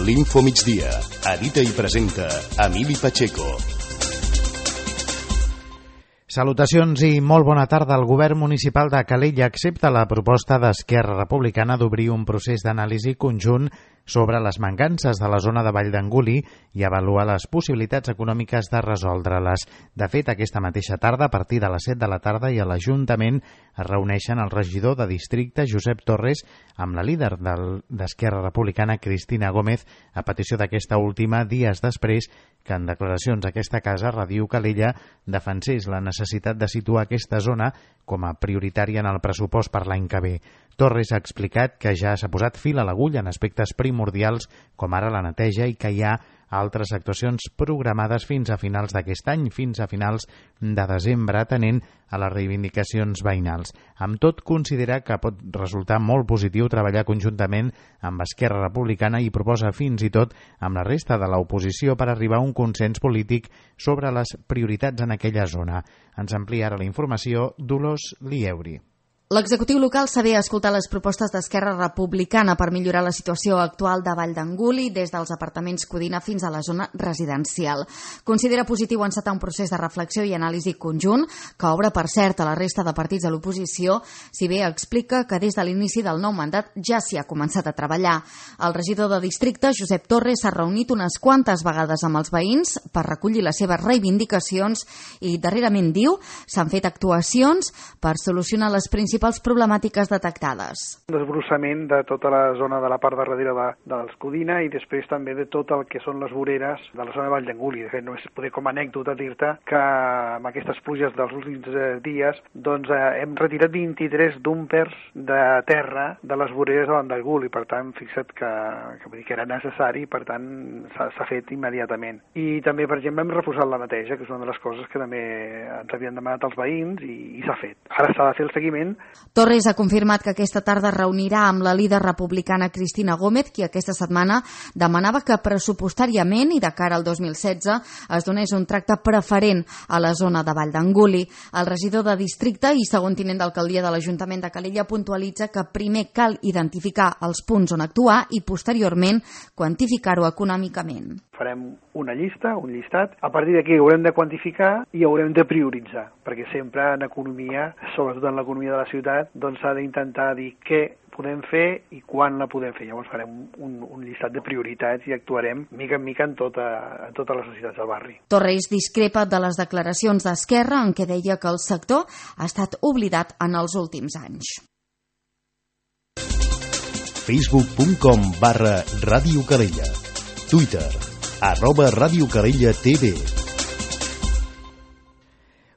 l'Info Migdia. Edita i presenta Emili Pacheco. Salutacions i molt bona tarda. El govern municipal de Calella accepta la proposta d'Esquerra Republicana d'obrir un procés d'anàlisi conjunt sobre les mancances de la zona de Vall d'Anguli i avaluar les possibilitats econòmiques de resoldre-les. De fet, aquesta mateixa tarda, a partir de les 7 de la tarda, i a l'Ajuntament es reuneixen el regidor de districte, Josep Torres, amb la líder d'Esquerra Republicana, Cristina Gómez, a petició d'aquesta última, dies després que en declaracions a aquesta casa, Ràdio Calella defensés la necessitat de situar aquesta zona com a prioritària en el pressupost per l'any que ve. Torres ha explicat que ja s'ha posat fil a l'agulla en aspectes primordials com ara la neteja i que hi ha altres actuacions programades fins a finals d'aquest any, fins a finals de desembre, atenent a les reivindicacions veïnals. Amb tot, considera que pot resultar molt positiu treballar conjuntament amb Esquerra Republicana i proposa fins i tot amb la resta de l'oposició per arribar a un consens polític sobre les prioritats en aquella zona. Ens amplia ara la informació Dolors Lieuri. L'executiu local sabia escoltar les propostes d'Esquerra Republicana per millorar la situació actual de Vall d'Anguli des dels apartaments Codina fins a la zona residencial. Considera positiu encetar un procés de reflexió i anàlisi conjunt que obre, per cert, a la resta de partits de l'oposició, si bé explica que des de l'inici del nou mandat ja s'hi ha començat a treballar. El regidor de districte, Josep Torres, s'ha reunit unes quantes vegades amb els veïns per recollir les seves reivindicacions i, darrerament, diu, s'han fet actuacions per solucionar les principals problemàtiques detectades. Desbrossament de tota la zona de la part de darrere dels Codina i després també de tot el que són les voreres de la zona de Vall d'Anguli. De fet, només poder com a anècdota dir-te que amb aquestes pluges dels últims dies hem retirat 23 dúmpers de terra de les voreres de Vall d'Anguli. Per tant, fixa't que era necessari, per tant, s'ha fet immediatament. I també, per exemple, hem reforçat la neteja, que és una de les coses que també ens havien demanat els veïns i s'ha fet. Ara s'ha de fer el seguiment. Torres ha confirmat que aquesta tarda reunirà amb la líder republicana Cristina Gómez, qui aquesta setmana demanava que pressupostàriament i de cara al 2016 es donés un tracte preferent a la zona de Vall d'Anguli. El regidor de districte i segon tinent d'alcaldia de l'Ajuntament de Calella puntualitza que primer cal identificar els punts on actuar i posteriorment quantificar-ho econòmicament. Farem una llista, un llistat. A partir d'aquí haurem de quantificar i haurem de prioritzar, perquè sempre en economia, sobretot en l'economia de la ciutat, doncs s'ha d'intentar dir què podem fer i quan la podem fer. Llavors farem un llistat de prioritats i actuarem mica en mica en totes les necessitats del barri. Torres discrepa de les declaracions d'Esquerra en què deia que el sector ha estat oblidat en els últims anys. Facebook.com/Ràdio Calella. Twitter @Ràdio Calella TV.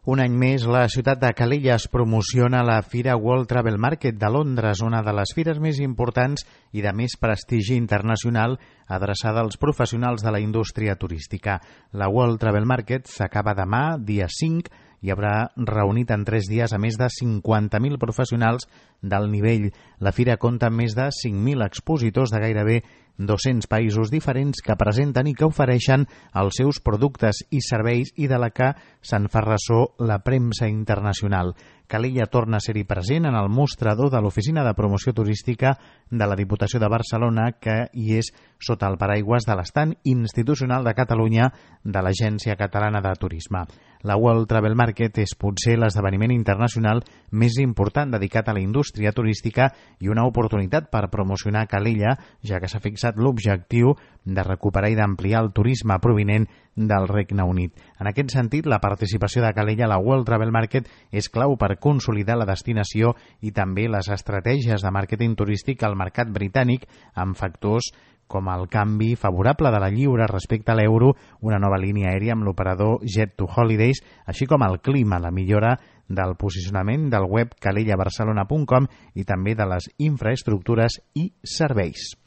Un any més, la ciutat de Calella es promociona a la Fira World Travel Market de Londres, una de les fires més importants i de més prestigi internacional adreçada als professionals de la indústria turística. La World Travel Market s'acaba demà, dia 5, i haurà reunit en 3 dies a més de 50.000 professionals d'alt nivell. La fira compta amb més de 5.000 expositors de gairebé 200 països diferents que presenten i que ofereixen els seus productes i serveis i de la que se'n fa ressò la premsa internacional. Calella torna a ser-hi present en el mostrador de l'Oficina de Promoció Turística de la Diputació de Barcelona, que hi és sota el paraigües de l'estand institucional de Catalunya de l'Agència Catalana de Turisme. La World Travel Market és potser l'esdeveniment internacional més important dedicat a la indústria turística i una oportunitat per promocionar Calella, ja que s'ha fixat l'objectiu de recuperar i d'ampliar el turisme provinent del Regne Unit. En aquest sentit, la participació de Calella a la World Travel Market és clau per consolidar la destinació i també les estratègies de màrqueting turístic al mercat britànic amb factors com el canvi favorable de la lliura respecte a l'euro, una nova línia aèria amb l'operador Jet2Holidays, així com el clima, la millora del posicionament del web calellabarcelona.com i també de les infraestructures i serveis.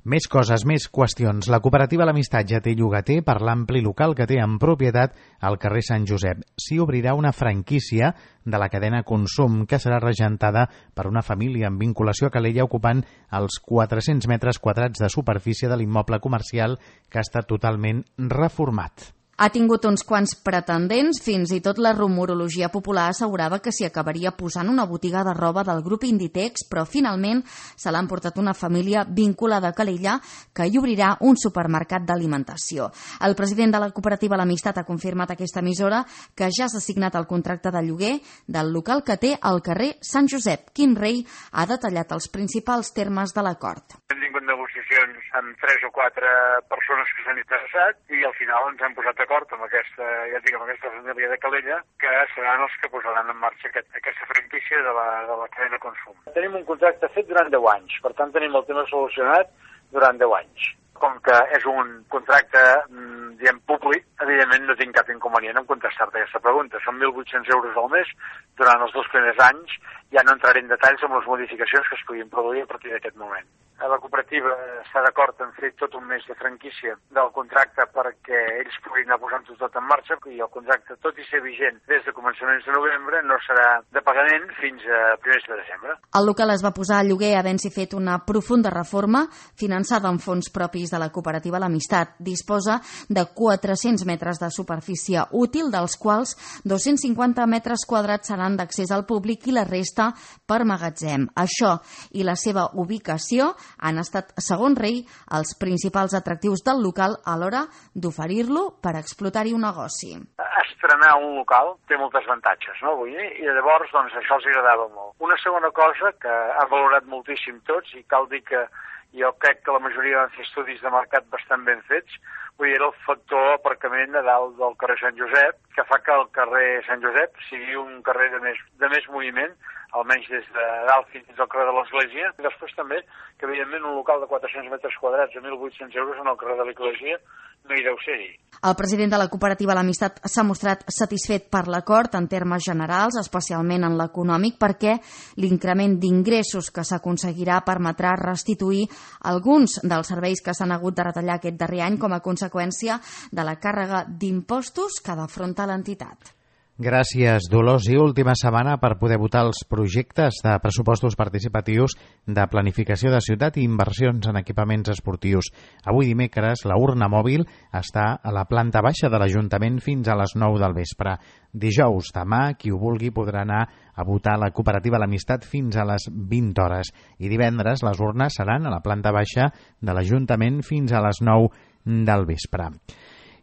Més coses, més qüestions. La cooperativa L'Amistat ja té llogater per l'ampli local que té en propietat al carrer Sant Josep. S'hi obrirà una franquícia de la cadena Consum que serà regentada per una família amb vinculació a Calella ocupant els 400 metres quadrats de superfície de l'immoble comercial que ha estat totalment reformat. Ha tingut uns quants pretendents, fins i tot la rumorologia popular assegurava que s'hi acabaria posant una botiga de roba del grup Inditex, però finalment se l'ha emportat una família vinculada a Calella que hi obrirà un supermercat d'alimentació. El president de la cooperativa L'Amistat ha confirmat a aquesta emissora que ja s'ha signat el contracte de lloguer del local que té al carrer Sant Josep. Quim Rei ha detallat els principals termes de l'acord. Hem tingut negociacions amb 3 o 4 persones que s'han interessat i al final ens hem posat d'acord amb aquesta família de Calella que seran els que posaran en marxa aquesta franquícia de la cadena de consum. Tenim un contracte fet durant 10 anys, per tant tenim el tema solucionat durant 10 anys. Com que és un contracte públic, evidentment no tinc cap inconvenient en contestar-te aquesta pregunta. Són 1.800 euros al mes durant els 2 primers anys. Ja no entraré en detalls amb les modificacions que es puguin produir a partir d'aquest moment. La cooperativa està d'acord en fer tot un mes de franquícia del contracte perquè ells puguin anar posant-ho tot en marxa i el contracte, tot i ser vigent des de començaments de novembre, no serà de pagament fins a primers de desembre. El local es va posar a lloguer havent-s'hi fet una profunda reforma finançada amb fons propis de la cooperativa L'Amistat. Disposa de 400 metres de superfície útil, dels quals 250 metres quadrats seran d'accés al públic i la resta per magatzem. Això i la seva ubicació han estat, segons Rei, els principals atractius del local a l'hora d'oferir-lo per explotar-hi un negoci. Estrenar un local té molts avantatges, no? Vull dir? I llavors doncs, això els agradava molt. Una segona cosa que han valorat moltíssim tots i cal dir que jo crec que la majoria van fer estudis de mercat bastant ben fets, vull dir, era el factor aparcament a dalt del carrer Sant Josep, que fa que el carrer Sant Josep sigui un carrer de més moviment, almenys des de dalt fins al carrer de l'Església. I després també, que evidentment un local de 400 metres quadrats a 1.800 euros en el carrer de l'Església no hi deu ser-hi. El president de la cooperativa L'Amistat s'ha mostrat satisfet per l'acord en termes generals, especialment en l'econòmic, perquè l'increment d'ingressos que s'aconseguirà permetrà restituir alguns dels serveis que s'han hagut de retallar aquest darrer any com a conseqüència de la càrrega d'impostos que afronta l'entitat. Gràcies, Dolors. I última setmana per poder votar els projectes de pressupostos participatius de planificació de ciutat i inversions en equipaments esportius. Avui dimecres, la urna mòbil està a la planta baixa de l'Ajuntament fins a les 9 del vespre. Dijous, demà, qui ho vulgui podrà anar a votar a la cooperativa L'Amistat fins a les 20 hores. I divendres, les urnes seran a la planta baixa de l'Ajuntament fins a les 9 del vespre.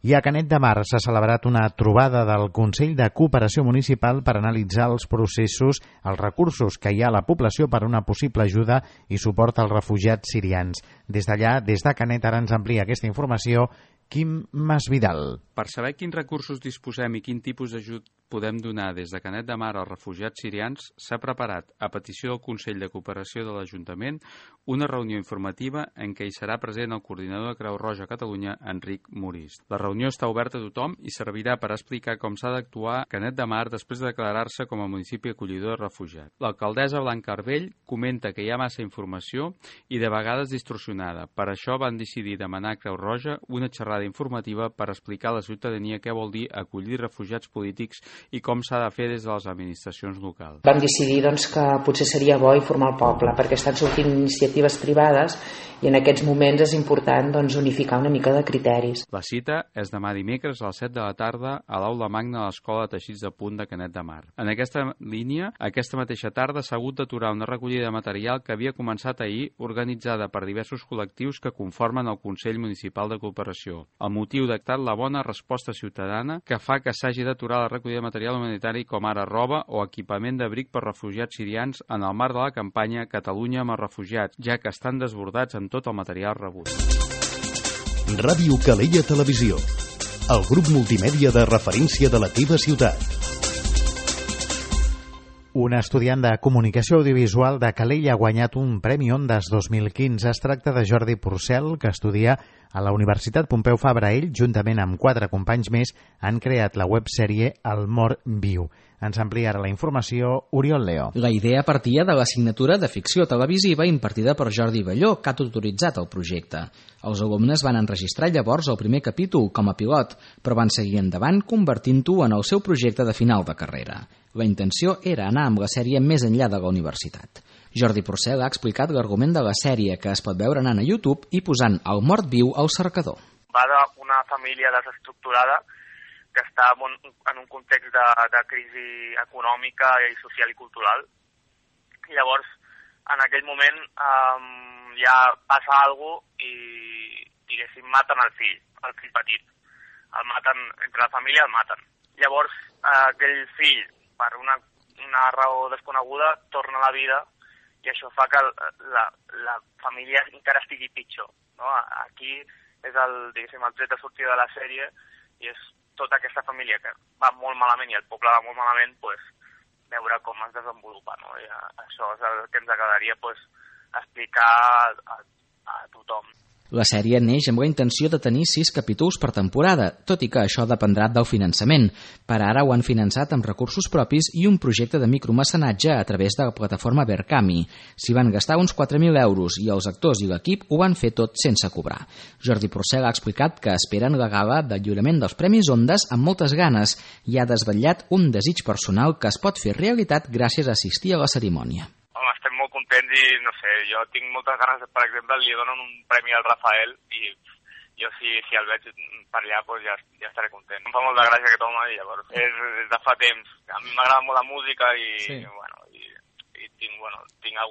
I a Canet de Mar s'ha celebrat una trobada del Consell de Cooperació Municipal per analitzar els processos, els recursos que hi ha a la població per a una possible ajuda i suport als refugiats sirians. Des d'allà, des de Canet, ara ens amplia aquesta informació Quim Masvidal. Per saber quins recursos disposem i quin tipus d'ajut podem donar des de Canet de Mar als refugiats sirians, s'ha preparat, a petició del Consell de Cooperació de l'Ajuntament, una reunió informativa en què hi serà present el coordinador de Creu Roja a Catalunya, Enric Morist. La reunió està oberta a tothom i servirà per explicar com s'ha d'actuar Canet de Mar després de declarar-se com a municipi acollidor de refugiats. L'alcaldessa Blanca Arbell comenta que hi ha massa informació i de vegades distorsionada. Per això van decidir demanar a Creu Roja una xerrada informativa per explicar a la ciutadania què vol dir acollir refugiats polítics i com s'ha de fer des de les administracions locals. Vam decidir que potser seria bo informar el poble, perquè estan sortint iniciatives privades i en aquests moments és important unificar una mica de criteris. La cita és demà dimecres a les 7 de la tarda a l'Aula Magna de l'Escola de Teixits de Punt de Canet de Mar. En aquesta línia, aquesta mateixa tarda s'ha hagut d'aturar una recollida de material que havia començat ahir, organitzada per diversos col·lectius que conformen el Consell Municipal de Cooperació. El motiu ha estat la bona resposta ciutadana que fa que s'hagi d'aturar la recollida de material humanitari com ara roba o equipament d'abric per refugiats sirians en el marc de la campanya Catalunya amb els refugiats, ja que estan desbordats amb tot el material rebut. Ràdio Calella Televisió, el grup multimèdia de referència de la teva ciutat. Un estudiant de comunicació audiovisual de Calella ha guanyat un Premi Ondas 2015. Es tracta de Jordi Porcel, que estudia a la Universitat Pompeu Fabra. Ell, juntament amb 4 companys més, han creat la websèrie El Mort Viu. Ens amplia ara la informació Oriol Leo. La idea partia de l'assignatura de ficció televisiva impartida per Jordi Balló, que ha tutoritzat el projecte. Els alumnes van enregistrar llavors el primer capítol com a pilot, però van seguir endavant convertint-ho en el seu projecte de final de carrera. La intenció era anar amb la sèrie més enllà de la universitat. Jordi Porcel ha explicat l'argument de la sèrie, que es pot veure anant a YouTube i posant El Mort Viu al cercador. Va d'una família desestructurada que està en un context de crisi econòmica i social i cultural. Llavors, en aquell moment ja passa alguna cosa i, diguéssim, maten el fill petit. El maten, entre la família el maten. Llavors, aquell fill, per una raó desconeguda, torna a la vida i això fa que la família encara estigui pitjor. No? Aquí és el tret de sortida de la sèrie i és tota aquesta família que va molt malament i el poble va molt malament, veure com es desenvolupa. No? I això és el que ens agradaria explicar a tothom. La sèrie neix amb la intenció de tenir 6 capítols per temporada, tot i que això dependrà del finançament. Per ara ho han finançat amb recursos propis i un projecte de micromecenatge a través de la plataforma Berkami. S'hi van gastar uns 4.000 euros i els actors i l'equip ho van fer tot sense cobrar. Jordi Porcel ha explicat que esperen la gala de lliurament dels Premis Ondas amb moltes ganes i ha desvetllat un desig personal que es pot fer realitat gràcies a assistir a la cerimònia. Estem molt contents i, no sé, jo tinc moltes ganes, per exemple, li donen un premi al Rafael i jo si el veig per allà ja estaré content. Em fa molta gràcia que toma i llavors és de fa temps. A mi m'agrada molt la música i tinc hi ha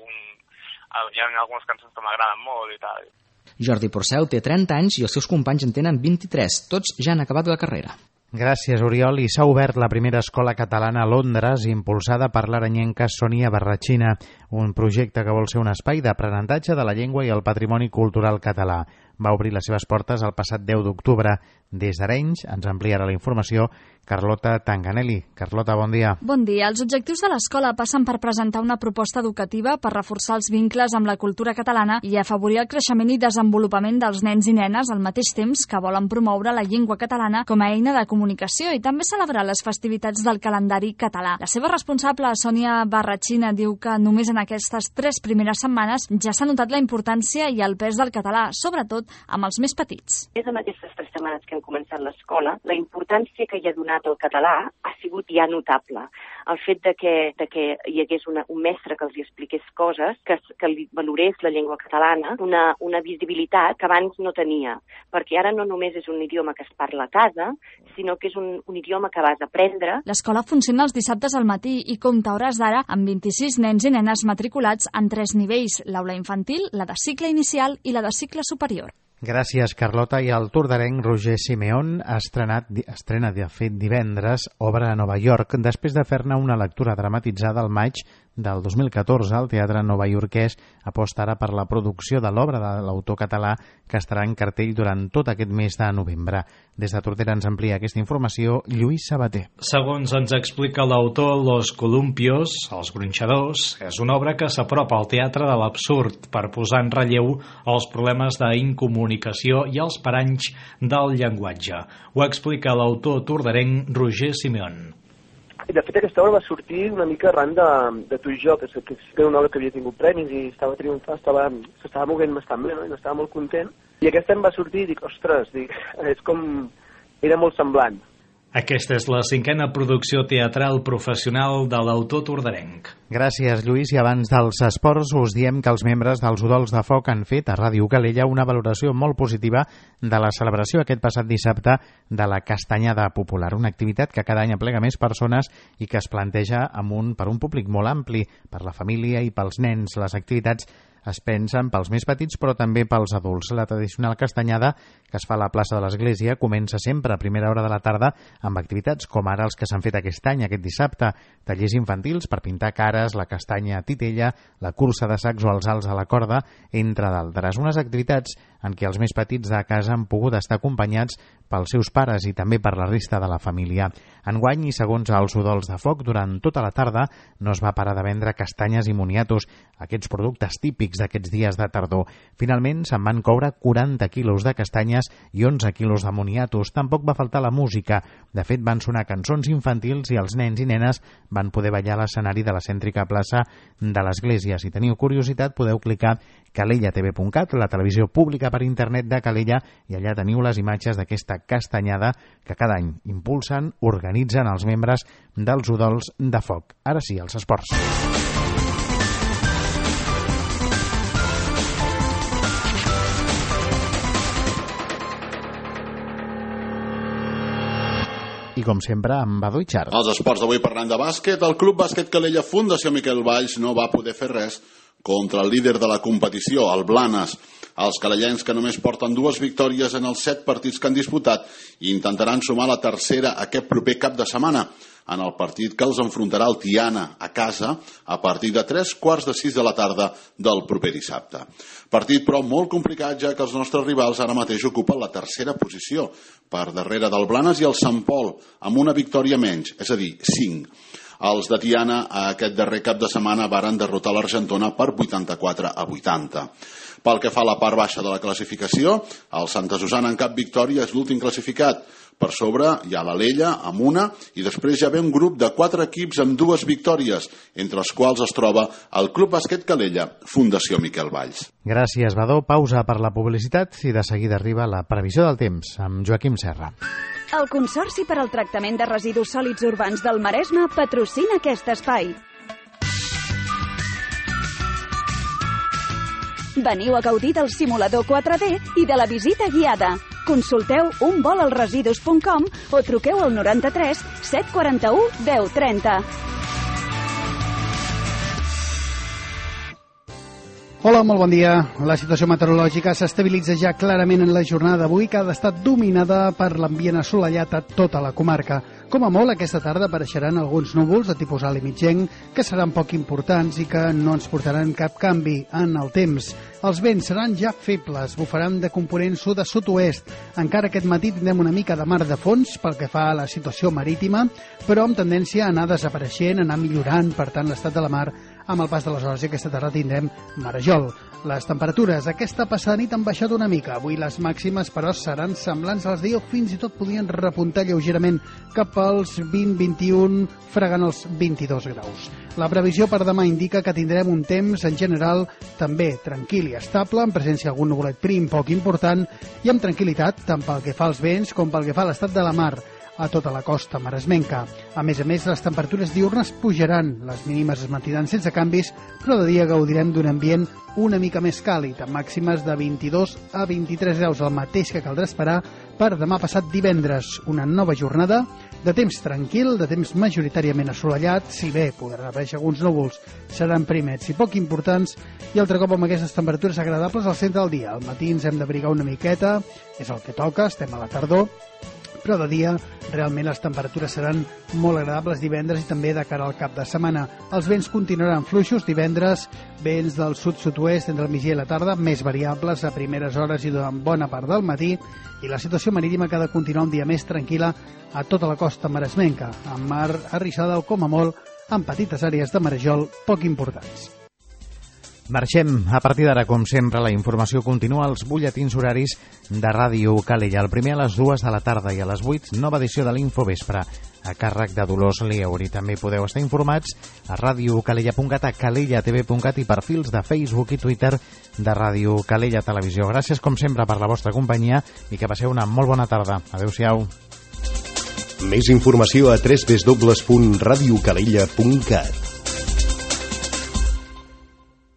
algunes cançons que m'agraden molt i tal. Jordi Porcel té 30 anys i els seus companys en tenen 23. Tots ja han acabat la carrera. Gràcies, Oriol. I s'ha obert la primera escola catalana a Londres, impulsada per l'aranyenca Sònia Barratxina, un projecte que vol ser un espai d'aprenentatge de la llengua i el patrimoni cultural català. Va obrir les seves portes el passat 10 d'octubre. Des d'Arenys ens ampliarà la informació Carlota Tanganelli. Carlota, bon dia. Bon dia. Els objectius de l'escola passen per presentar una proposta educativa per reforçar els vincles amb la cultura catalana i afavorir el creixement i desenvolupament dels nens i nenes al mateix temps que volen promoure la llengua catalana com a eina de comunicació i també celebrar les festivitats del calendari català. La seva responsable, Sònia Barratxina, diu que només en aquestes 3 primeres setmanes ja s'ha notat la importància i el pes del català, sobretot amb els més petits. És en aquestes 3 setmanes que hem començat l'escola, la importància que hi ha donat al català ha sigut ja notable. El fet de que hi hagués un mestre que els expliqués coses, que li valorés la llengua catalana, una visibilitat que abans no tenia, perquè ara no només és un idioma que es parla a casa, sinó que és un idioma que vas aprendre. L'escola funciona els dissabtes al matí i compta hores d'ara amb 26 nens i nenes matriculats en 3 nivells, l'aula infantil, la de cicle inicial i la de cicle superior. Gràcies, Carlota. I el tordarenc Roger Simeón estrena de fet divendres obra a Nova York després de fer-ne una lectura dramatitzada al maig del 2014. El Teatre Novaiorquès aposta ara per la producció de l'obra de l'autor català que estarà en cartell durant tot aquest mes de novembre. Des de Tordera ens amplia aquesta informació Lluís Sabater. Segons ens explica l'autor, Los Columpios, Els Gronxadors, és una obra que s'apropa al teatre de l'absurd per posar en relleu els problemes d'incomunicació i els paranys del llenguatge. Ho explica l'autor tordarenc Roger Simeón. De fet, aquesta obra va sortir una mica arran de Tu i jo, que era una obra que havia tingut premis i estava triomfant, s'estava movent bastant bé, no? I estava molt content. I aquest any va sortir i dic, ostres, és com... era molt semblant. Aquesta és la 5a producció teatral professional de l'autor tordarenc. Gràcies, Lluís. I abans dels esports us diem que els membres dels Udols de Foc han fet a Ràdio Calella una valoració molt positiva de la celebració aquest passat dissabte de la Castanyada Popular, una activitat que cada any aplega més persones i que es planteja per un públic molt ampli, per la família i pels nens. Les activitats es pensen pels més petits però també pels adults. La tradicional castanyada, que es fa a la plaça de l'Església, comença sempre a primera hora de la tarda amb activitats com ara els que s'han fet aquest any, aquest dissabte, tallers infantils per pintar cares, la castanya a titella, la cursa de sacs o els salts a la corda, entre d'altres. Unes activitats en què els més petits de casa han pogut estar acompanyats pels seus pares i també per la resta de la família. Enguany, i segons els Udols de Foc, durant tota la tarda no es va parar de vendre castanyes i moniatos, aquests productes típics d'aquests dies de tardor. Finalment, se'n van coure 40 quilos de castanyes i 11 quilos de moniatos. Tampoc va faltar la música. De fet, van sonar cançons infantils i els nens i nenes van poder ballar a l'escenari de la cèntrica plaça de l'Església. Si teniu curiositat, podeu clicar calellatv.cat, la televisió pública per internet de Calella, i allà teniu les imatges d'aquesta castanyada que cada any impulsen, organitzen els membres dels Udols de Foc. Ara sí, els esports. i com sempre amb Badu i Char. Els esports d'avui parlant de bàsquet, el Club Bàsquet Calella Fundació Miquel Valls no va poder fer res contra el líder de la competició, el Blanes. Els calellencs, que només porten 2 victòries en els 7 partits que han disputat, intentaran sumar la tercera aquest proper cap de setmana, en el partit que els enfrontarà el Tiana a casa a partir de 3:45 de la tarda del proper dissabte. Partit, però, molt complicat, ja que els nostres rivals ara mateix ocupen la tercera posició, per darrere del Blanes i el Sant Pol, amb una victòria menys, és a dir, 5. Els de Tiana aquest darrer cap de setmana varen derrotar l'Argentona per 84-80. Pel que fa a la part baixa de la classificació, el Santa Susana en cap victòria és l'últim classificat. Per sobre hi ha l'Alella amb una i després ja ve un grup de 4 equips amb 2 victòries, entre els quals es troba el Club Bàsquet Calella, Fundació Miquel Valls. Gràcies, Badó. Pausa per la publicitat i de seguida arriba la previsió del temps amb Joaquim Serra. El Consorci per al Tractament de Residus Sòlids Urbans del Maresme patrocina aquest espai. Veniu a gaudir del simulador 4D i de la visita guiada. Consulteu unvolalresidus.com o truqueu al 93 741 1030. Hola, molt bon dia. La situació meteorològica s'estabilitza ja clarament en la jornada d'avui, que ha estat dominada per l'ambient assolellat a tota la comarca. Com a molt, aquesta tarda apareixeran alguns núvols de tipus alt i mitjenc que seran poc importants i que no ens portaran cap canvi en el temps. Els vents seran ja febles, bufaran de component sud a sud-oest. Encara aquest matí tindrem una mica de mar de fons pel que fa a la situació marítima, però amb tendència a anar desapareixent, a anar millorant, per tant, l'estat de la mar amb el pas de les hores, i aquesta tarda tindrem marejol. Les temperatures aquesta passada nit han baixat una mica. Avui les màximes, però, seran semblants a les d'ahir o fins i tot podien repuntar lleugerament cap als 20-21, fregant els 22 graus. La previsió per demà indica que tindrem un temps, en general, també tranquil i estable, en presència d'algun nuvolet prim poc important i amb tranquil·litat, tant pel que fa als vents com pel que fa a l'estat de la mar a tota la costa maresmenca. A més, les temperatures diurnes pujaran, les mínimes es mantindran sense canvis, però de dia gaudirem d'un ambient una mica més càlid, amb màximes de 22 a 23 graus, el mateix que caldrà esperar per demà passat divendres. Una nova jornada de temps tranquil, de temps majoritàriament assolellat, si bé podran aparèixer alguns núvols, seran primets i poc importants, i altre cop amb aquestes temperatures agradables al centre del dia. Al matí ens hem d'abrigar una miqueta, és el que toca, estem a la tardor, però de dia realment les temperatures seran molt agradables divendres i també de cara al cap de setmana. Els vents continuaran fluixos divendres, vents del sud-sud-oest entre el migdia i la tarda, més variables a primeres hores i durant bona part del matí, i la situació marítima que ha de continuar un dia més tranquil·la a tota la costa maresmenca, amb mar arrissada o com a molt amb petites àrees de marejol poc importants. Marxem. A partir d'ara, com sempre, la informació continua als butlletins horaris de Ràdio Calella. El primer a les 2 de la tarda i a les 8, nova edició de l'Infovespre, a càrrec de Dolors Lieuri. També podeu estar informats a radiocalella.cat, a calellatv.cat i perfils de Facebook i Twitter de Ràdio Calella Televisió. Gràcies, com sempre, per la vostra companyia i que passeu una molt bona tarda. Adéu-siau. Més informació a www.radiocalella.cat.